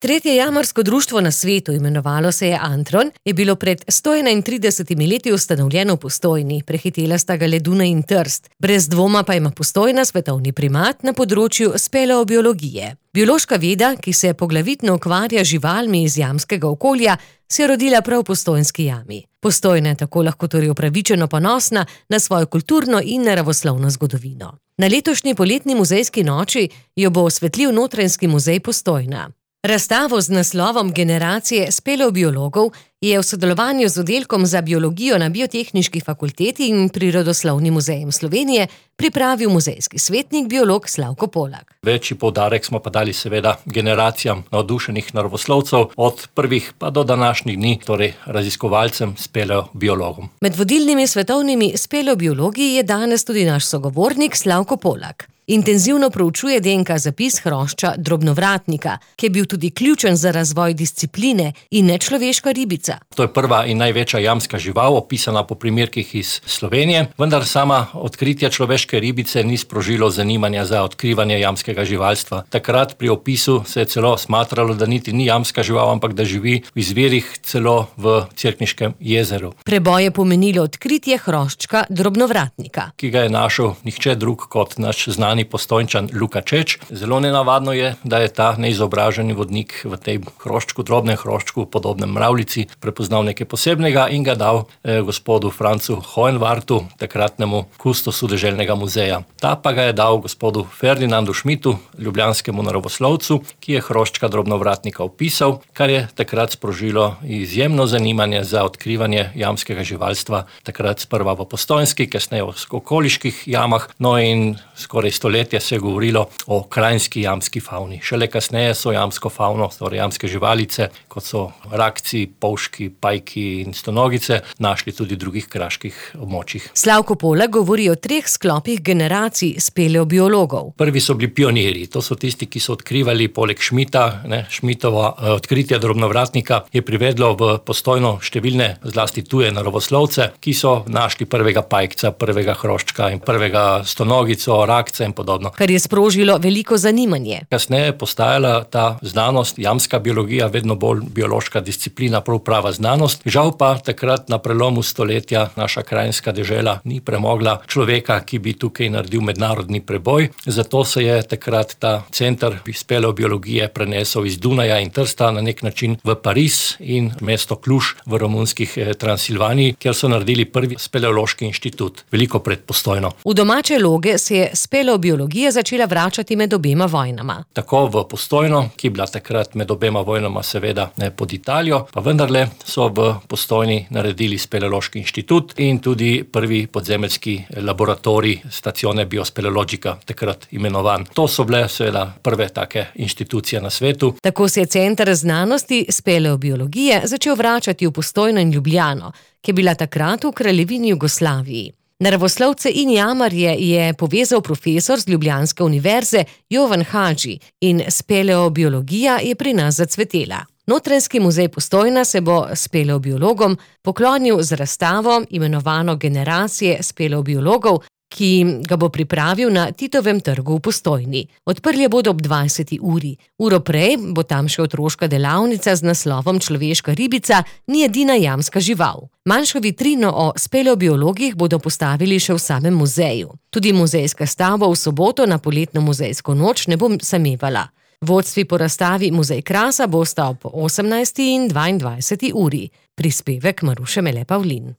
Tretje jamarsko društvo na svetu, imenovalo se je Antron, je bilo pred 131 leti ustanovljeno v Postojni, prehitela sta ga le Dunaj in Trst. Brez dvoma pa ima Postojna svetovni primat na področju speleobiologije. Biološka veda, ki se poglavitno ukvarja z živalmi iz jamskega okolja, se je rodila prav v Postojnski jami. Postojna je tako lahko torej upravičeno ponosna na svojo kulturno in naravoslovno zgodovino. Na letošnji poletni muzejski noči jo bo osvetlil Notranjski muzej Postojna. Razstavo z naslovom Generacije speleobiologov je v sodelovanju z oddelkom za biologijo na Biotehniški fakulteti in Prirodoslovnim muzejem Slovenije pripravil muzejski svetnik biolog Slavko Polak. Večji poudarek smo pa dali seveda generacijam navdušenih naravoslovcev od prvih pa do današnjih dni, torej raziskovalcem speleobiologom. Med vodilnimi svetovnimi speleobiologi je danes tudi naš sogovornik Slavko Polak. Intenzivno proučuje DNK zapis hrošča drobnovratnika, ki je bil tudi ključen za razvoj discipline in nečloveška ribica. To je prva in največja jamska žival, opisana po primerkih iz Slovenije, vendar sama odkritje človeške ribice ni sprožilo zanimanja za odkrivanje jamskega živalstva. Takrat pri opisu se je celo smatralo, da niti ni jamska žival, ampak da živi v izvirih celo v Cerkniškem jezeru. Preboj je pomenilo odkritje hroščka drobnovratnika, ki ga je našel nihče drug kot naš znani Postojnčan Luka Čeč. Zelo nenavadno je, da je ta neizobraženi vodnik v tej hroščku, drobnem hroščku, podobnem mravljici, prepoznal nekaj posebnega in ga dal gospodu Francu Hohenwartu, takratnemu kustosu deželnega muzeja. Ta pa ga je dal gospodu Ferdinandu Schmidtu, ljubljanskemu naravoslovcu, ki je hroščka drobnovratnika opisal, kar je takrat sprožilo izjemno zanimanje za odkrivanje jamskega živalstva, takrat sprva v Postojnski, kasneje v okoliških jamah, no in skoraj stoletja se je govorilo o krajinski jamski favni. Šele kasneje so jamsko favno, torej jamske živalice, kot so rakci, polški, pajki in stonogice, našli tudi v drugih kraških območjih. Slavko Polak govori o 3 sklopih generacij speleobiologov. Prvi so bili pionirji, to so tisti, ki so odkrivali poleg Schmidta, Schmidtova odkritja drobnovratnika je privedlo v Postojno številne, zlasti tuje naravoslovce, ki so našli prvega pajkca, prvega hroščka in prvega stonogico, rakca in podobno. Kar je sprožilo veliko zanimanje. Kasneje je postajala ta znanost, jamska biologija, vedno bolj biološka disciplina, prav prava znanost. Žal pa takrat na prelomu stoletja naša krajinska dežela ni premogla človeka, ki bi tukaj naredil mednarodni preboj. Zato se je takrat ta center speleobiologije prenesel iz Dunaja in Trsta na nek način v Pariz in mesto Kluž v romunskih Transilvaniji, kjer so naredili prvi speleološki inštitut, veliko pred Postojno. V domače loge se je speleobiologija začela vračati med obema vojnama. Tako v Postojno, ki je bila takrat med obema vojnama seveda pod Italijo, pa vendarle so v Postojni naredili speleološki inštitut in tudi prvi podzemeljski laboratorij Stazione Biospeleologica, takrat imenovan. To so bile seveda prve take inštitucije na svetu. Tako se je center znanosti speleobiologije začel vračati v Postojno in Ljubljano, ki je bila takrat v Kraljevini Jugoslaviji. Naravoslovce in jamarje je povezal profesor z ljubljanske univerze Jovan Hadži in speleobiologija je pri nas zacvetela. Notranjski muzej Postojna se bo speleobiologom poklonil z razstavo, imenovano Generacije speleobiologov, ki ga bo pripravil na Titovem trgu v Postojni. Odprli bodo ob 20. uri. Uro prej bo tam še otroška delavnica z naslovom Človeška ribica ni edina jamska žival. Manjšo vitrino o speleobiologih bodo postavili še v samem muzeju. Tudi muzejska stavba v soboto na poletno muzejsko noč ne bo samevala. Vodstvi po razstavi Muzej Krasa bosta ob 18. in 22. uri. Prispevek Maruše Mele Pavlin.